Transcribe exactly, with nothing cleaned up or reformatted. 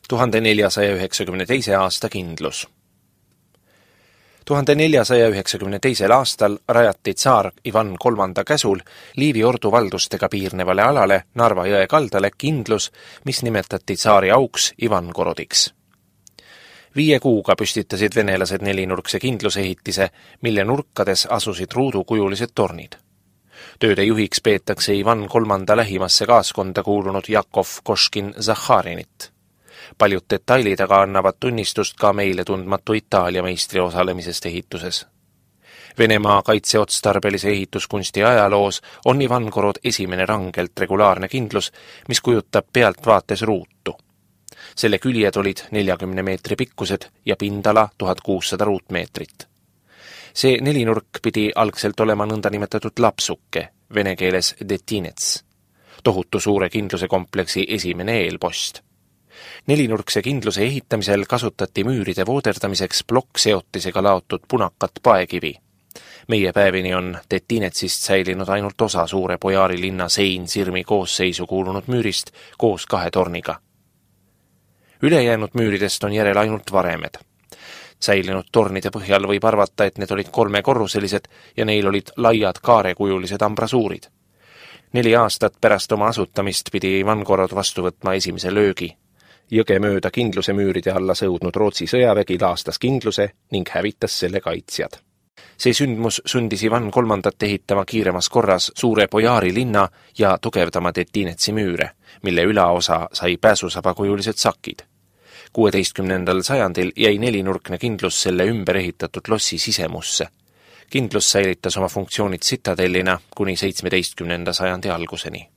tuhande neljasaja üheksakümne teise aasta kindlus. tuhande neljasaja üheksakümne teisel aastal rajati tsaar Ivan kolmanda käsul Liivi ordu valdustega piirnevale alale Narva jõe kaldale kindlus, mis nimetati tsaari auks Ivangorodiks. Viie kuuga püstitasid venelased nelinurkse kindlusehitise, mille nurkades asusid ruudukujulised tornid. Tööde juhiks peetakse Ivan kolmanda lähimasse kaaskonda kuulunud Jakov Koškin-Zahharinit. Paljud detailid aga annavad tunnistust ka meile tundmatu Itaalia meistri osalemisest ehituses. Venemaa kaitseotstarbelise ehituskunsti ajaloos on Ivangorod esimene rangelt regulaarne kindlus, mis kujutab pealtvaates ruutu. Selle küljed olid neljakümne meetri pikkused ja pindala tuhat kuussada ruutmeetrit. See nelinurk pidi algselt olema nõndanimetatud lapsuke, vene keeles detinets, tohutu suure kindluse kompleksi esimene eelpost. Nelinurkse kindluse ehitamisel kasutati müüride vooderdamiseks plokkseotisega laotud punakat paekivi. Meie päevini on detinetsist säilinud ainult osa suure Bojaari linna sein-sirmi koosseisu kuulunud müürist koos kahe torniga. Ülejäänud müüridest on järel ainult varemed. Säilinud tornide põhjal võib arvata, et need olid kolmekorruselised ja neil olid laiad kaarekujulised ambrasuurid. Neli aastat pärast oma asutamist pidi Ivangorod vastu võtma esimese löögi. Jõge mööda kindluse müüride alla sõudnud Rootsi sõjavägi laastas kindluse ning hävitas selle kaitsjad. See sündmus sundis Ivan kolmandat ehitama kiiremas korras suure Bojaari linna ja tugevdama detinetsi müüre, mille ülaosa sai pääsusabakujulised sakid. kuueteistkümnendal sajandil jäi nelinurkne kindlus selle ümber ehitatud lossi sisemusse. Kindlus säilitas oma funktsioonid sitadellina kuni seitsmeteistkümnenda sajandi alguseni.